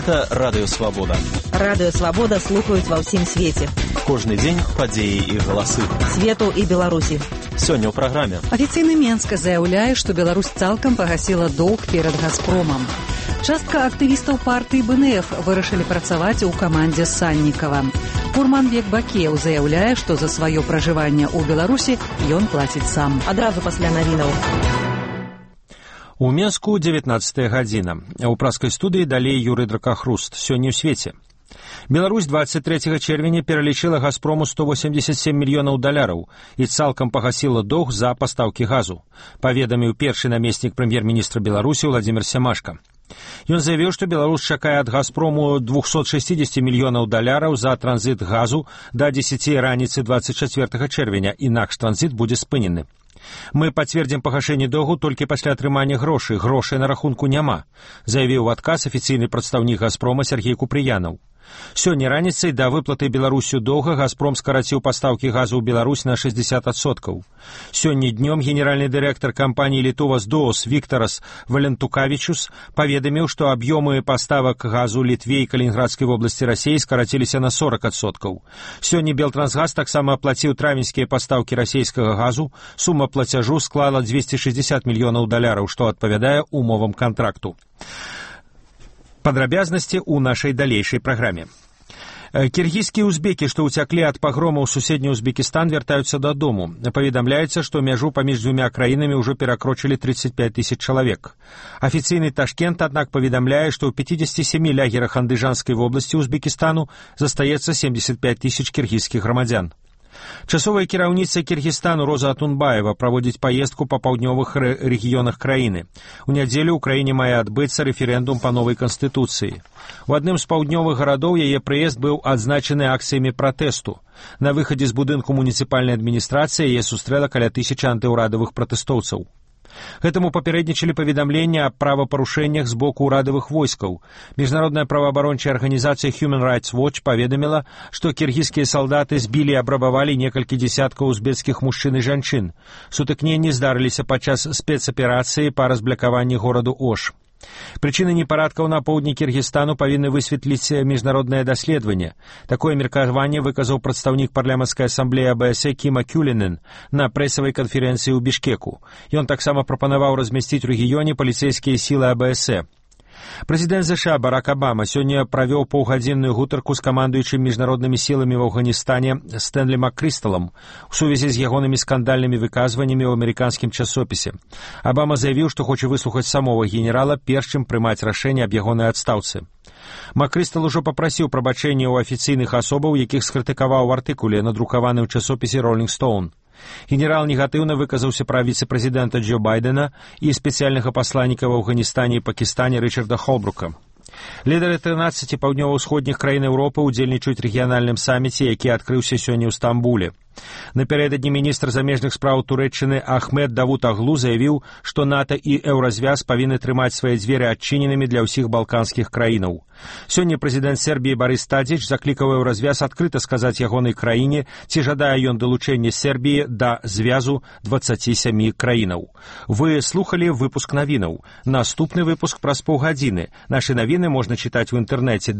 Гэта Радыё Свабода. Радыё Свабода слухаюць ва ўсім свеце. Кожны дзень падзеі і галасы. Свету і Беларусі. Сёння ў праграме. Афіцыйны Менск заяўляе, што Беларусь цалкам пагасіла доўг перад «Газпромам». Частка актывістаў партыі БНФ вырашылі працаваць у камандзе Саннікава. Курманбек Бакеў заяўляе, што за сваё пражыванне ў Беларусі ён плаціць сам. Адразу пасля навінаў. У Менску 19 гадзіна. У праскай студыі далей Юрый Дракахруст. Сёння ў свеце. Беларусь 23 чэрвеня пералічыла «Газпрому» 187 мільёнаў даляраў і цалкам пагасіла доўг за пастаўкі газу, паведаміў першы намеснік прэм'ер-міністра Беларусі Владзімір Сямашка. Ён заявіў, што Беларусь чакае ад «Газпрому» 260 мільёнаў даляраў за транзіт газу да 10 раніцы 24 чэрвеня, інакш транзіт будзе спынены. Мы пацвердзім пагашэнне доўгу толькі пасля атрымання грошай. Грошай на рахунку няма, заявіў у адказ афіцыйны прадстаўнік «Газпрома» Сергей Купрыянаў. Сёння раніцай да выплаты Беларусю доўга «Газпром» скараціў пастаўкі газу ў Беларусь на 60%. Сёння днём генеральны дырэктар кампаніі «Літовас ДООС» Викторас Валентукавічус паведаміў, што аб'ёмы паставак газу Літве і Калінінградскай вобласці Расіі скараціліся на 40%. Сёння Белтрансгаз таксама аплаціў травеньскія пастаўкі расійскага газу. Сума плацяжу склала 260 мільёнаў даляраў, што адпавядае умовам кантракту. Падрабязнасці ў нашай далейшай праграме. Кіргізскія узбекі, што ўцяклі ад пагрома ў суседні Узбекістан, вяртаюцца дадому. Паведамляецца, што мяжу паміж дзвюма краінамі ўжо перакрочылі 35 тысяч чалавек. Афіцыйны Ташкент, аднак, паведамляе, што ў 57 лагерах Андыжанскай вобласці Узбекістану застаецца 75 тысяч кіргізскіх грамадзян. Часовая кіраўніца Кіргізстану Роза Атунбаева праводзіць паездку па паўднёвых рэгіёнах краіны. У нядзелю ў краіне мае адбыцца рэферэндум па новай канстытуцыі. У адным з паўднёвых гарадоў яе прыезд быў адзначаны акцыямі пратэсту. На выхадзе з будынку муніцыпальнай адміністрацыі яе сустрэла каля 1000 антыўрадавых пратэстоўцаў. Гэтаму папярэднічалі паведамленні аб правапарушэннях з боку ўрадавых войскаў. Міжнародная праваабарончая арганізацыя Human Rights Watch паведаміла, што кіргізскія салдаты збілі і абрабавалі некалькі дзесяткаў узбекскіх мужчын і жанчын. Сутыкненні здарыліся падчас спецаперацыі па разблякаванні гораду Ош. Прычыны непарадкаў на поўдні Кіргізстану павінны высветліць міжнароднае даследаванне. Такое меркаванне выказаў прадстаўнік парламенцкай асамблеі АБС Кіма Кюлінен на прэсавай канферэнцыі ў Бішкеку. Ён таксама прапанаваў размясціць у рэгіёне паліцэйскія сілы АБС. Прэзідэнт ЗША Барак Абама сёння правёў паўгадзінную гутарку з камандуючым міжнароднымі сіламі ў Афганістане Стэнлі Маккрысталам у сувязі з ягонымі скандальнымі выказваннямі ў амерыканскім часопісе. Абама заявіў, што хоча выслухаць самого генерала, перш чым прымаць рашэнне аб ягонай адстаўцы. Маккрыстал ужо папрасіў прабачэння ў афіцыйных асобаў, якіх скрытыкаваў у артыкуле, надрукаваны ў часопісе «Роллінг Стоун». Генерал негатыўна выказаўся пра віцэ-прэзідэнта Джо Байдена і спецыяльнага пасланніка в Афганістане і Пакістане Рычарда Холбрука. Лідары 13 паўднёва-ўсходніх краін Еўропы ўдзельнічаюць рэгіянальным саміце, які адкрыўся сёння ў Стамбуле. Напярэдадні міністр замежных спраў Турэччыны Ахмед Давутаглу заявіў, што НАТО і Еўразвяз павінны трымаць свае дзверы адчыненымі для ўсіх балканскіх краінаў. Сёння прэзідэнт Сербіі Барыс Тадзіч заклікаў Еўразвяз адкрыта сказаць ягонай краіне, ці жадае ён далучэння Сербіі да звязу 27 краінаў. Вы слухалі выпуск навінаў. Наступны выпуск праз паўгадзіны. Нашы навіны можна чытаць у інтэрнэце